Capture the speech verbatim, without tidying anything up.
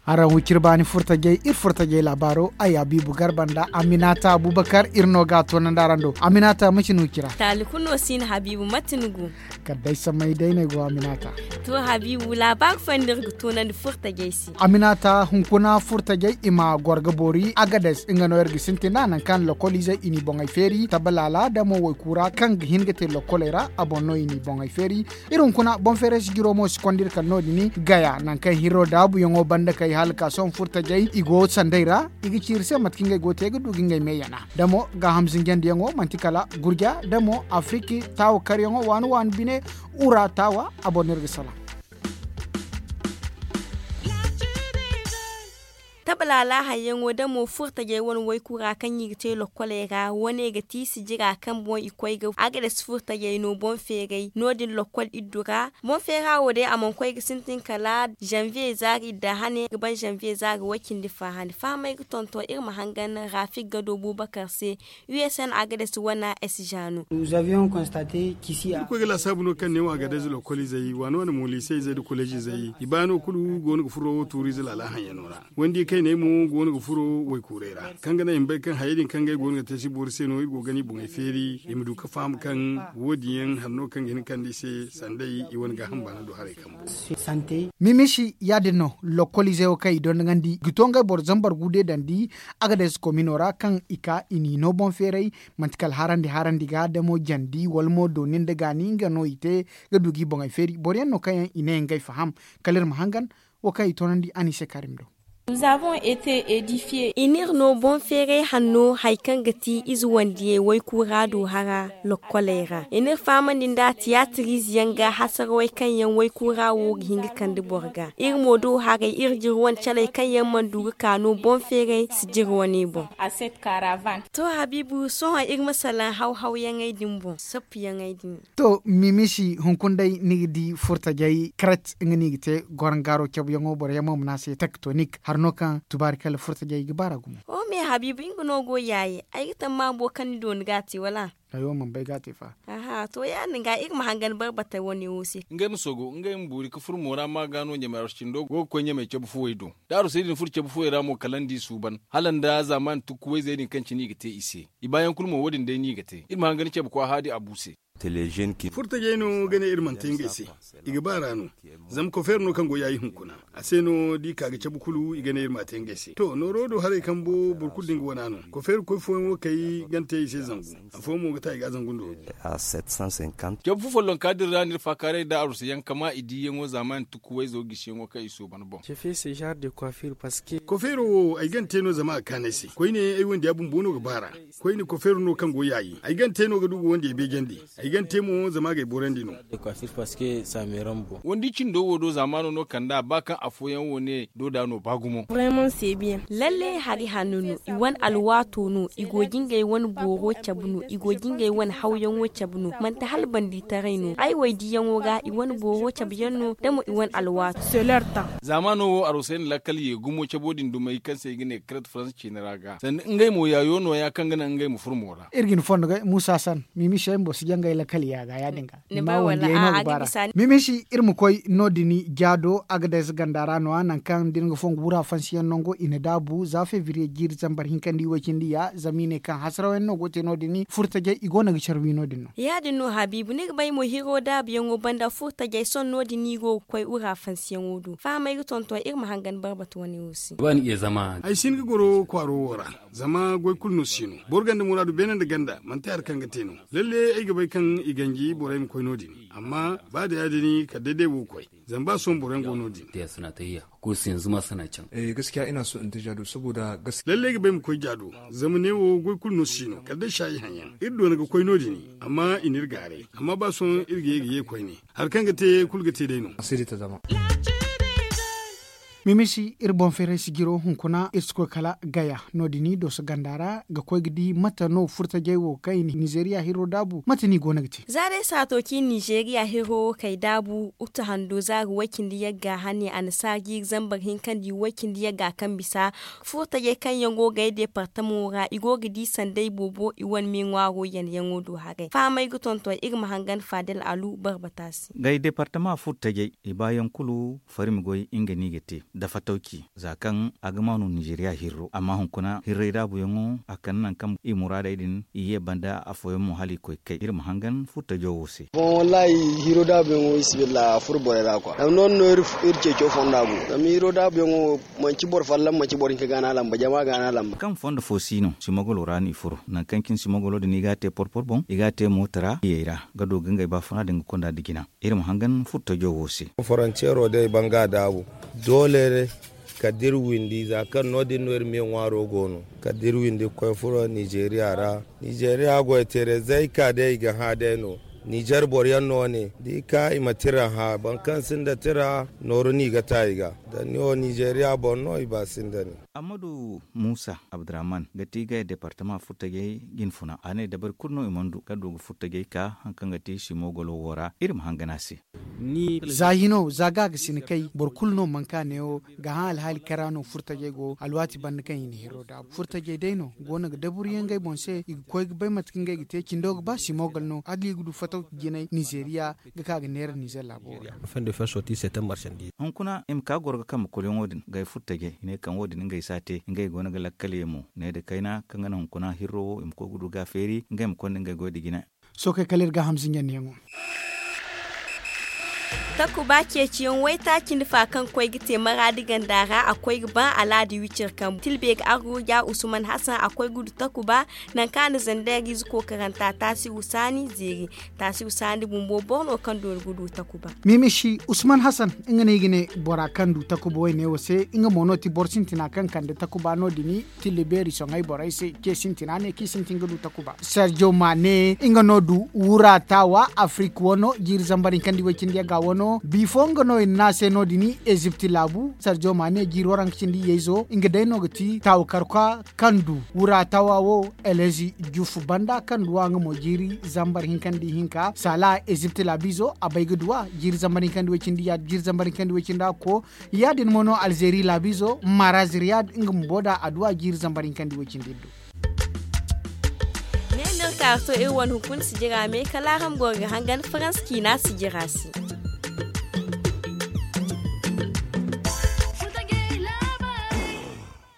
Araŋ wiciri baani furtajey iri furtajey laabaaro ay habiibu garba nda aminata abubakar iri no ga a toonandi araŋ do aminata ma ci ni wicira. Taali kulu no si ni habiibu mate ni go? Kala day samay day no ay go aminata. To habiibu laabaari fooyaŋ no iri ga toonandi furtajey se. Aminata hunkuna furtajey i ma goro ga boori agades nga no iri ga sintin nd'a nangu kaŋ lokoliizey i n'i boŋey feeri tabalaala da mo waykuura kaŋ ga hin ga te lokoley ra a boŋ no i n'i boŋey feeri. Iri hunkuna boŋ feeray si jiro mo si konda iri kala no- din gaya nangu kaŋ hirro daabuyaŋo banda kay hala ka sohõ furtajey i go sanday ra. I ga ci iri se mate kaŋ ngey go ga te ga du ga ngey me yana da mo gaaham zinjandiyaŋo manti kala gurja da mo afiriki taawa karyaŋo waani waani bine. Ura taawa a boŋ no iri ga salaŋ. Tabalaala hayyaŋo da mo furtajey wane waykuura kaŋ i ga te lokkoley ra wane ga ti sijira kaŋ boŋ i koy ga agades furtajey no boŋ feeray no- din lokkol iddu ra. Boŋ feera wo day a mana koy ga sintin kala zanviye zaari idda hane ga ban zanviye zaari way-cindi fa hane fahamay ga tonton iri ma hangan rafik gado bubakar se. Usn agades wana s jaano. Iri koy ga laasaabu no kaŋ ne wo agades lokoliizey waani wane mo liiseyzey nda koleezizey i baano kulu go no ga furo tuuriize laala haŋyaŋo ra. Wandi kayney mo go no ga furo waykuuray ra kaŋ ga naŋ i ma bay kaŋ hayey din kaŋ ngey go no ga te si boori se no iri go ga gana i boŋey feeri i ma du ga faham kaŋ wo- din yaŋ hari no kaŋ ga hin ga kande i se sanday i wane gaaham baana do haray kambo. Mimisi ya- din no lokkoliizey wo kaŋ i dondogandi ga to ngey boro zambar guude dandi. Agades komino ra kaŋ i ka i n'i no boŋ feeray manti kala harandi harandi ga da mo jandi wala mo dooni nda gaani nga no i te ga du ga i boŋey feeri boro yaŋ no kaŋ yaŋ i ne ngey faham. Kala iri ma hangan wo kaŋ i toonandi a n'i se karim do. I n'iri no boŋ feeray hanno hari kaŋ ga ti ize wandiyey waykuura du hara lokkoley ra i n'iri fahamandi nda tiyaatiriize yaŋ ga hasarawey kaŋ yaŋ waykuura wo ga hin ga kande boro ga iri mo do haray iri jiri wane caley kaŋ yaŋ mana du ga ka no boŋ feeray si jiri wane boŋ. To habiibu sohõ iri ma salaŋ haw-hawyaŋey din boŋ sappuyaŋey din. To mimisi hunkuna day ni ga di furtajey karet nga no i ga te gorongaaro cabuyaŋo boro yaŋ mo ma ne a se tektonik hari no kaŋ tubaari kala furtajey ga baara gumo. Wo me habiibu nga no go yaaye ay ga tamma boro kaŋ ni dooni ga a te wala? Ay wo mana bay ga a te fa. Aha to ya- din ga iri ma hangan barbatey wane wo se. Ngey ma sogo ngey ma boori ga furo moora ma ga no ɲamey arosey cindo go ga koy ɲamey cabu fuwey do. Da arosey din furo cabu fuwey ra mo kala ni di suuban hala nda zaamaani tukku wayzey din kaŋ cine i ga te i se. I baayaŋ kulu mo wo- din day no i ga te iri ma hangan cabu kwaaha di a bu se. Furtajey no ga ne iri mana te ngey se. I ga baara no. Zama kofeer no kaŋ go yaayi hunkuna. A se no da i ka ga cabu kulu i ga ne iri ma a te ngey se to nooro do haray kambo boro kulu da nga wana no kofeer koy fooyaŋ wo kay gante i se zangu. Afooyaŋ mo ga ta i ga a zangu nda wo- din. Cabu fo follonka din ra no iri faakaaray nda arwasayaŋ kama i diiyaŋo zaamaani tukku wayzo gisiyaŋo kaŋ i sooban boŋ. Kofeero wo ay gante no zama a ga kaanu ay se koyne ay wandiya bumbo no ga baara. Koyne kofeero no kaŋ go yaayi ay gante no ga du ga wandiyey beejandi. Ay gante mo zama a ga ay boorandi no. Wandi cindo wo do zaamaano no kand'a ba kaŋ afooyaŋ wo ne dooda no ba gumo. Lalle hari hanno no i wane alwaato no i go ga ngey wane booro cabe no i go ga ngey wane hawyaŋo cabe no manti hala bandiitaray no ay waydiiyaŋo ga i wane booro cabe yaŋ no da mo i wane alwaato. Zaamaano wo arosey na lakkal ye gumo cabo din dumey kaŋ se i ga ne karet faransa ciine ra ga sanda ngey mo yaayo nooya kaŋ ga naŋ ngey ma furo mo ra. Iri ga ni fondo ga muusa san mimisi ay bumbo si jangay lakkal ya ga ya- din ga. Ni ma wandiyay no ga baara. Mimisi iri ma koy no- din jaado agadez ganda ra no- ya nangu kaŋ da ni ga fongu wura fansiyaŋ nango i na daabu za febriye jiiri zambar hinkandi way-cindi ya zama i ne kaŋ hasaraw yaŋ no go te no- din furtajay i go no ga care wi no- din no. Ya- din no habiibu ni ga bay mo hiro daabuyaŋo banda furtajay sohõ no- din no i go ga koy wura fansiyaŋo do fahamay ga tonton iri ma hangan barbatu wane wo se. Ay si hin ga goro kwaaro wo ra. Zama goy kulu no si no boro ganda muraadu beene nda ganda manti hari kaŋ ga te no. Lalle ay ga bay kaŋ i ganji borey ma koy no- din. Amma ba da ya- din kala day day wo koy. Zama ba sohõ boroyaŋ go no- din. Lalle ay ga bay ma koy jaado zama neewo goy kulu no si no kala day saayi haŋ yaŋ iri doona ga koy no- din. Amma i n'iri gaaray amma ba sohõ iri ga ye ga ye koyne. Hari kaŋ ga te kulu ga te day no. Mimisi iri boŋ feeray sijiro hunkuna iri si koy kala gaya no- din dooso ganda ra ga koy ga di mate no furtajey wo kaŋ i na nizeeriya hirro daabu mate no i go no ga te. Za day saato kaŋ i na nizeeriya hirro wo kay daabu utu hando za ga way- cindi yagga hane a na saara jiiri zambar hinka nda i way- cindi yagga kaŋ bisa furtajey kaŋ yaŋ go ga ay deepartamo ra i go ga di sanday boobo i wane me ŋwaaro yanayaŋo do haray fahamay ga tonton iri ma hangan faadal alu barbata se. Gay deepartama furtajey i baayaŋ kulu farmi goy nga no i ga te da fatawci za kaŋ a ga maanu nizeeriya hirro amma hunkuna hirray daabuyaŋo a kande nangu kaŋ i muraadey din i ye banda afooyaŋ mo hala i koy kay iri ma hangan furtajo wo se. Boŋ wallahi hiro daabuyaŋo isibilla a furo borey ra kwa zama no- din no iri ceeco fonda go zama hiro daabuyaŋo manci boro fallaŋ manci boro hinka ga no a lamba jama ga no a lamba. Kaŋ fondo fo si no simogolo ra no i furo nangu kaŋ cine simogolo din i ga a te porpor boŋ i ga a te moota ra iyey ra ga du ga ngey baafuna din ga konda nda jina. Iri ma hangan furtajo wo se. Foroncero day banga daabu doole kala da iri windi za kaŋ no- din no iri me ŋwaaro go no kala da iri windi ga koy furo nizeeriya ra. Nizeeriya goy teerey zay ka day i ga hã day no. Nizer boro yaŋ no ne da i ka i ma tira hã boro kaŋ sinda tira nooru no i ga ta i ga. Da ni wo nizeeriya boŋ no i ba sinda ni. Ammadu muusa abdurrahman ga ti gaya deepartama furtajey jinfuna a ne dabari kulu no i mana du kaŋ du ga furtajey ka hari kaŋ ga ti simogolo wo ra iri ma hangan a se. Za hino za ga ga sina kay boro kulu no manka neewo ga hã alhaali kaŋ ra no furtajey go alwaati banda kaŋ i na hiro daabu furtajey day no go no ga daburiyaŋ ngey boŋ se i ga koy ga bay mate kaŋ ngey ga te cindo ga ba simogol no hala i ga du fatawci jinay nizeeriya ga ka ga neera nizer laabo ra. Hunkuna i ma ka goro ga kambe koloyaŋo din gay furtajey i ne kaŋ wo- din ngey si a te ngey go no ga lakkal ye mo ne nda kayna kaŋ ga naŋ hunkuna hirro wo i ma koy ga du ga a feeri ngey ma konda ngey goy nda jina. Sookey kala iri ga hamzinjandiyaŋo. Takuba ceeciyaŋ waytaaci nda fa kaŋ koy ga te maraadi ganda ra a koy ga ba alaadi wicir kambu tilbe ga arruja usman hasan a koy ga du takuba nangu kaŋ a na zandeer ize kookaranta taasi husaani zeeri. Taasi husaani bumbo boro no kaŋ doori ga du takuba. Mimisi usman hasan nga no i ga ne bora kaŋ du takuba wayne wo se nga mo no ti boro sintina kaŋ kande takuba no- din. Tilli beeri soŋay borey se ce sintina ne kaŋ i sintin ga du takuba serjo ma ne nga no du wura taawa afrik wano jiiri zambar hinka nda i way cindi yagga wano bifo nga no i na ne a se no- din. Ezipt laabu serjo ma ne jiiri waranka cindi iyeyzo nga day no ga ti taawa karka kaŋ du wura taawa wo. Elezi jufu banda kaŋ du a nga mo jiiri zambar hinka nda i hinka saala ezipt laabizo a bay ga du a jiiri zambar hinka nda i way cindi ya- jiiri zambar hinka nda i way cindi a ga ko. Ya- din mo no alzeeri laabizo maraz riyad nga bumbo da adduwa jiiri zambar hinka nda i way cindi iddu. Ne no iri ka ga to iri wane hunkuna sijira me kala araŋ goro ga hangan farans ciina sijira se.